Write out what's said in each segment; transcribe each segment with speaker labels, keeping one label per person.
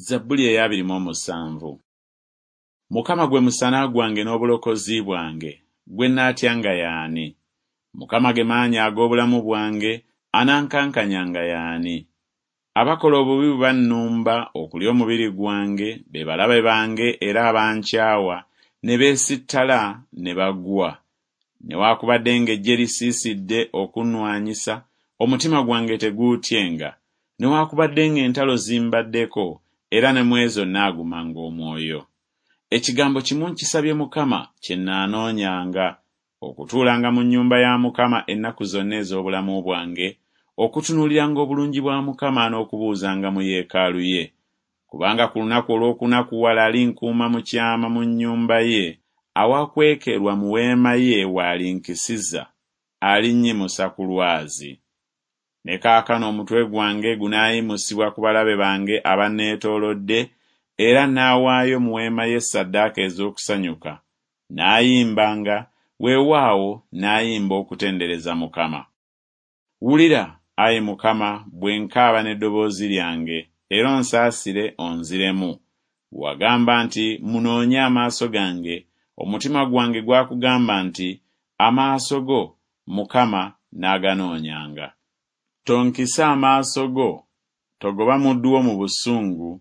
Speaker 1: Zabbuli ey'abiri mu omusanvu. Mukama gwe musana gwange n'obulokozi bwange, gwe nnaatyanga y'ani? Mukama ge maanyi ag'obulamu bwange, anankankanyanga y'ani? Abakola obubi bwe bannumba okulya omubiri gwange, be balabe bange era abankyawa, ne beesittala ne bagwa. Newaakubadde ng'eggye lisiisidde okunnwanyisa, omutima gwange teguutyenga, newaakubadde ng'entalo zimbaddeko, era ne mu ezo nnaagumanga omwoyo. Ekigambo kimu nkisabye Mukama, kye nnaanoonyanga, okutuulanga mu nnyumba ya Mukama ennaku zonna ez'obulamu bwange, okutunuuliranga obulungi bwa Mukama n'okubuuzanga mu yeekaalu ye. Kubanga ku lunaku olw'okunakuwala alinkuuma mu kyama mu nnyumba ye, awakwekerwa mu weema ye w'alinkisiza, alinnyimusa ku lwazi. Ne kaakano omutwe gwange gunaayimusibwa ku balabe bange abanneetoolodde, era nnaawaayo mu weema ye ssaddaaka ez'okusanyuka, nnaayimbanga, weewaawo, nnaayimba okutendereza Mukama. Wulira, ayi Mukama, bwe nkaaba n'eddoboozi lyange, era onsaasire onziremu. Wagamba nti, Munoonye amaaso gange, omutima gwange gwakugamba nti, Amaaso go, Mukama, nnaaganoonyanga. Tonkisa amaaso go, togoba muddu wo mu busungu,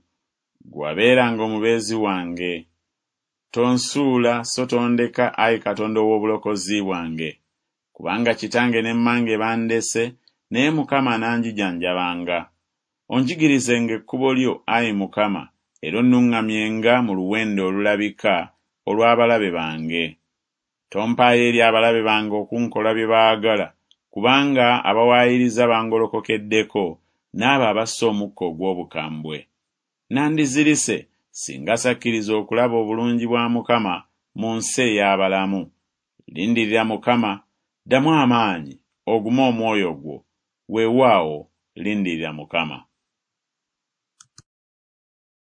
Speaker 1: ggwe wabeeranga omubeezi wange. Tonsuula so tondeka, ayi Katonda ow'obulokozi bwange. Kubanga kitange ne mmange bandese, naye Mukama ananjijanjabanga. Onjigirizenga ekkubo lyo, ayi Mukama, era onnuŋŋamyenga mu luwenda olulabika olw'abalabe bange. Tompaayo eri abalabe bange okunkola bye baagala, kubanga abawaayiriza bangolokokeddeko, n'abo abassa omukka ogw'obukambwe. Nandizirise singa sakkiriza okulaba obulungi bwa Mukama mu nsi ey'abalamu. Lindirira Mukama, ddamu amaanyi, ogume omwoyo gwo, weewaawo, lindirira Mukama.